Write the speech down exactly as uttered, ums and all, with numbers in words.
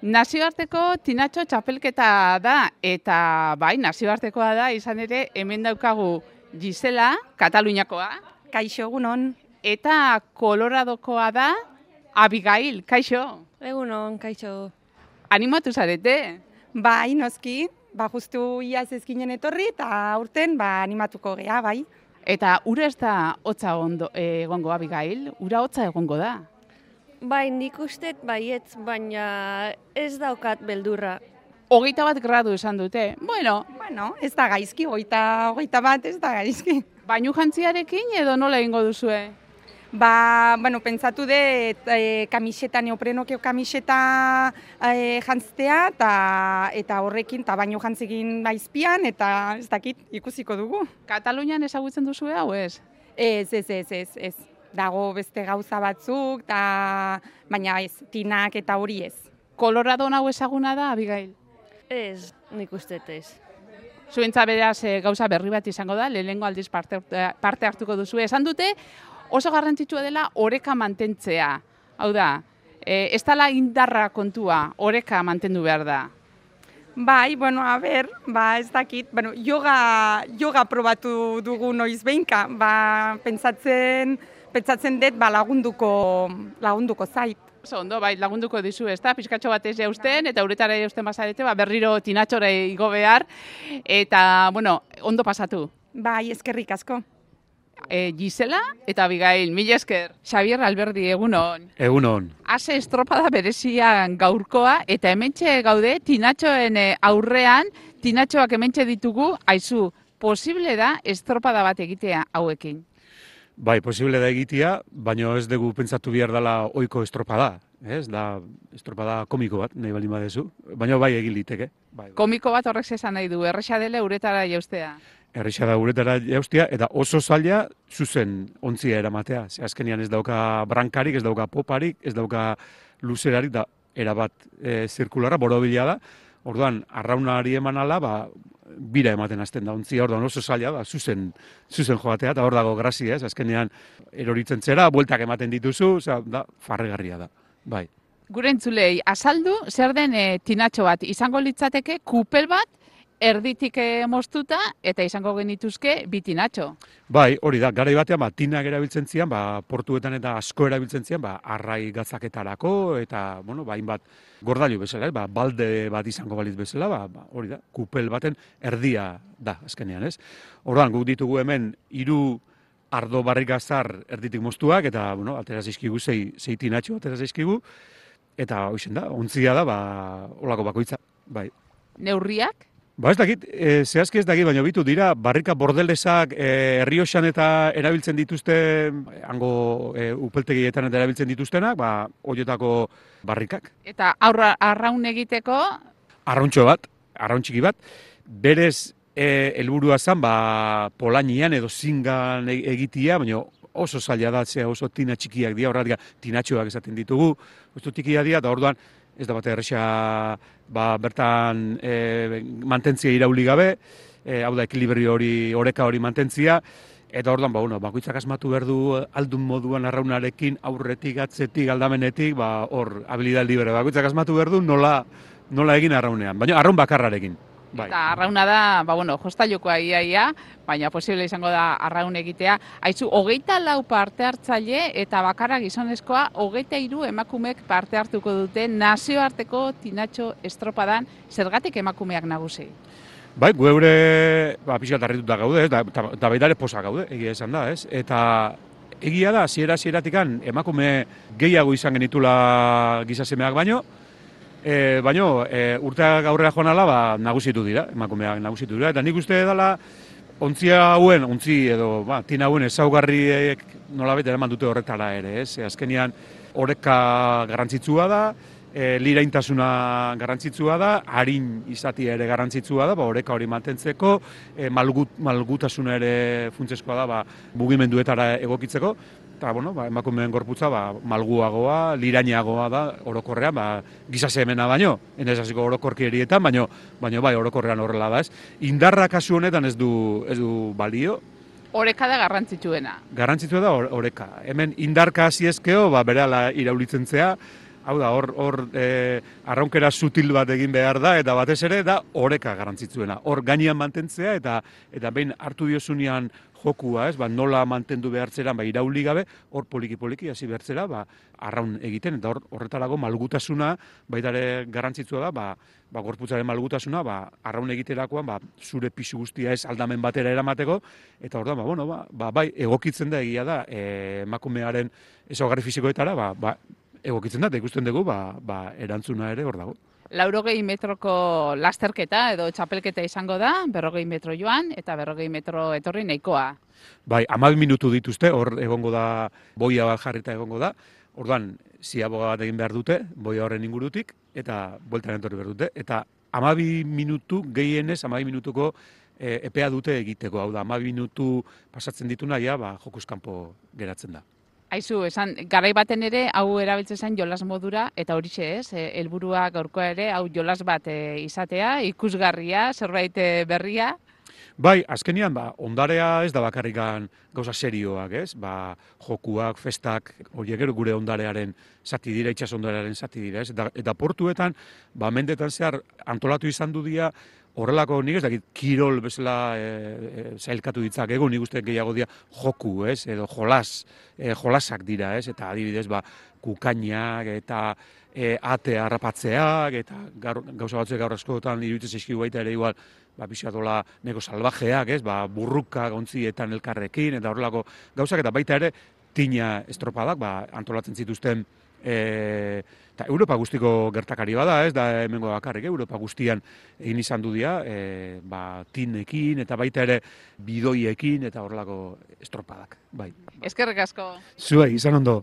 Nazioarteko tinatxo txapelketa da, eta bai, nazioartekoa da, izan ere, hemen daukagu Gisela, Kataluniakoa. Kaixo, egunon. Eta Koloradokoa da, Abigail, kaixo. Egunon, kaixo. Animatu zarete? Bai, noski, ba, justu iaz ezkinen etorri, eta aurten ba, animatuko gea, bai. Eta ura ez da hotza ondo, egongo, Abigail? Ura hotza egongo da? Bai, nik ustet baietz, baina ez daukat beldurra. Hogeita bat gradu esan dute. Bueno, Bueno, ez da gaizki, hogeita, hogeita bat ez da gaizki. bainu jantziarekin edo nola egingo duzue? Ba, bueno, pentsatu dut e, kamiseta, neoprenokeo kamiseta e, jantztea, eta, eta horrekin, eta baino jantzekin baizpian, eta ez dakit ikusiko dugu. Katalunian ezagutzen duzue hau ez? Ez, ez, ez, ez, ez. Dago beste gauza batzuk, ta, baina ez, tinak eta hori ez. Colorado hau ezaguna da, Abigail? Ez, nik ustet ez. Zuentza beraz e, gauza berri bat izango da, lehenengo aldiz parte, parte hartuko duzu. Esan dute oso garrantzitsua dela oreka mantentzea. Hau da, e, ez dela indarra kontua, oreka mantendu behar da. Bai, bueno, a ber, ba, ez dakit, bueno, yoga, yoga probatu dugu noiz behinka, ba, pentsatzen, pentsatzen dut ba, lagunduko, lagunduko zait. Oso ondo, bai, lagunduko dizu, ez da, pizkatxo bat ez jausten, eta uretara jausten bazarete, ba, berriro tinatxora igo behar, eta, bueno, ondo pasatu. Bai, eskerrik asko. E, Gisela eta Abigail, mila esker. Xabier Alberdi, egunon. Egunon. Ase estropada berezian gaurkoa, eta hementxe gaude, tinatxoen aurrean, tinatxoak hementxe ditugu, aizu, posible da estropada bat egitea hauekin? Bai, posible da egitea, baina ez dugu pentsatu behar dela ohiko estropada. Ez, da estropada komiko bat, nahi baldin badezu, baina bai egin liteke. Bai, bai. Komiko bat horrek esan nahi du, erresa dela uretara jaustea. Erresa da uretara jaustea, eta oso zaila zuzen ontzia eramatea. Ze azkenean ez dauka brankarik, ez dauka poparik, ez dauka luzerarik, da erabat e, zirkularra, borobila da. Orduan, arraunari eman ala, ba, bira ematen hasten da ontzia, orduan oso zaila da, zuzen, zuzen joatea, eta hor dago grazia, ez, azkenean eroritzen zera, bueltak ematen dituzu, oza, da, farregarria da, bai. Gure entzulei, azaldu, zer den e, tinatxo bat, izango litzateke kupel bat, erditik moztuta, eta izango genituzke bi tinatxo. Bai, hori da, garai batean, ba, tinak erabiltzen zian, ba, portuetan eta asko erabiltzen zian, ba, arrai gatzaketarako, eta, bueno, ba, hainbat gordailu bezala, ba, balde bat izango balitz bezala, ba, ba, hori da, kupel baten erdia da, azkenean, ez? Orduan, guk ditugu hemen, hiru ardo barrikazar erditik moztuak, eta, bueno, atera zaizkigu, zei, zei tinatxo atera zaizkigu, eta, hoixen da, ontzia da, ba, olako bakoitza, bai. Neurriak? Ba ez dakit, e, zehazki ez dakit, baina bitu dira, barrika bordelesak e, Errioxan eta erabiltzen dituzte, hango e, upeltegietan eta erabiltzen dituztenak, ba, horietako barrikak. Eta aurra, arraun egiteko? Arrauntxo bat, arraun txiki bat, berez e, helburua zen, ba, polainian edo zingan egitia, baina oso zaila da, zea oso tina txikiak dira, horretik tinatxoak esaten ditugu, oso txikia dira, eta orduan, ez da bat erresa ba, bertan e, mantentzia irauli gabe, e, hau da ekilibrio hori, oreka hori mantentzia, eta orduan, ba, bueno, bakoitzak asmatu behar du aldun moduan arraunarekin, aurretik, atzetik, aldamenetik, ba, hor, habilidad libre, bakoitzak asmatu behar du nola, nola egin arraunean, baina arraun bakarrarekin. Bai. Eta arrauna da, ba, bueno, jostailukoa iaia, baina posible izango da arraun egitea. Aizu, hogeita lau parte hartzaile eta bakarra gizonezkoa, hogeita hiru emakumeek parte hartuko dute nazioarteko tinatxo estropadan, zergatik emakumeak nagusi? Bai, geure, ba, pixkat harrituta gaude, ez, da, da baita ere posa gaude, egia esan da, ez? Eta egia da, hasiera hasieratik emakume gehiago izan genitula gizasemeak baino, E, baino, e, urteak aurrera joan ala, ba, nagusitu dira, emakumeak nagusitu dira, eta nik uste dela, ontzia hauen, ontzi edo, ba, tina hauen ezaugarriek nolabait eraman dute horretara ere, ez? E, azkenean, oreka garrantzitsua da, e, liraintasuna garrantzitsua da, harin izatia ere garrantzitsua da, ba, oreka hori mantentzeko, e, malgut, malgutasuna ere funtsezkoa da, ba, mugimenduetara egokitzeko, eta, bueno, ba, emakumeen gorputza ba, malguagoa, lirainagoa da, orokorrean, ba, gizasemena baino, enez hasiko orokorki erietan, baino, baino bai, orokorrean horrela da, ez. Indarra kasu honetan ez du, ez du balio. Oreka da garrantzitsuena. Garrantzitsua da oreka. Hemen indarka hasi ezkeo, ba, berehala iraulitzen zea, Hau da, hor, hor e, arraunkera sutil bat egin behar da, eta batez ere, da oreka garrantzitsuena. Hor gainean mantentzea, eta eta behin hartu diozunean jokua, ez, ba, nola mantendu behartzera, ba, irauli gabe, hor poliki-poliki hasi behartzera, ba, arraun egiten, eta hor, horretarago malgutasuna, baita ere garrantzitsua da, ba, ba, gorputzaren malgutasuna, ba, arraun egiterakoan, ba, zure pisu guztia ez aldamen batera eramateko, eta hor da, ba, bueno, ba, ba, bai, egokitzen da egia da, e, emakumearen ezaugarri fisikoetara, ba, ba, egokitzen da, eta ikusten dugu, ba, ba, erantzuna ere hor dago. Laurogei metroko lasterketa edo txapelketa izango da, berrogei metro joan eta berrogei metro etorri nahikoa. Bai, hamabi minutu dituzte, hor egongo da, boia bat jarrita egongo da, orduan, ziaboga bat egin behar dute, boia horren ingurutik, eta bueltan etorri behar dute, eta hamabi minutu, gehienez, hamabi minutuko e, epea dute egiteko, hau da, hamabi minutu pasatzen dituna, ja, ba, jokuz kanpo geratzen da. Aizu, esan, garai baten ere, hau erabiltzen zen jolas modura, eta horixe ez, e, helburua gaurkoa ere, hau jolas bat e, izatea, ikusgarria, zerbait e, berria. Bai, azkenian, ba, ondarea ez da bakarrikan gauza serioak, ez? Ba, jokuak, festak, horiek gero gure ondarearen zati dira, itxas ondarearen zati dira, ez? Eta, eta portuetan, ba, mendetan zehar antolatu izan du dira, horrelako nik ez dakit, kirol bezala e, e, zailkatu ditzak, ego nik uste gehiago dira joku, ez? Edo jolas, e, jolasak dira, ez? Eta adibidez, ba, kukainak eta e, ate harrapatzeak, eta gaur, gauza batzuek gaur askotan iruditzen zaizkigu baita ere igual, ba, pixatola neko salvajeak, ez? Ba, burruka gontzietan elkarrekin, eta horrelako gauzak, eta baita ere, tina estropadak, ba, antolatzen zituzten, e, eta Europa guztiko gertakari bada, ez da hemengo bakarrik, Europa guztian egin izan du dira, e, ba, tinekin, eta baita ere bidoiekin, eta horrelako estropadak, bai. Eskerrik asko. Zuei, izan ondo.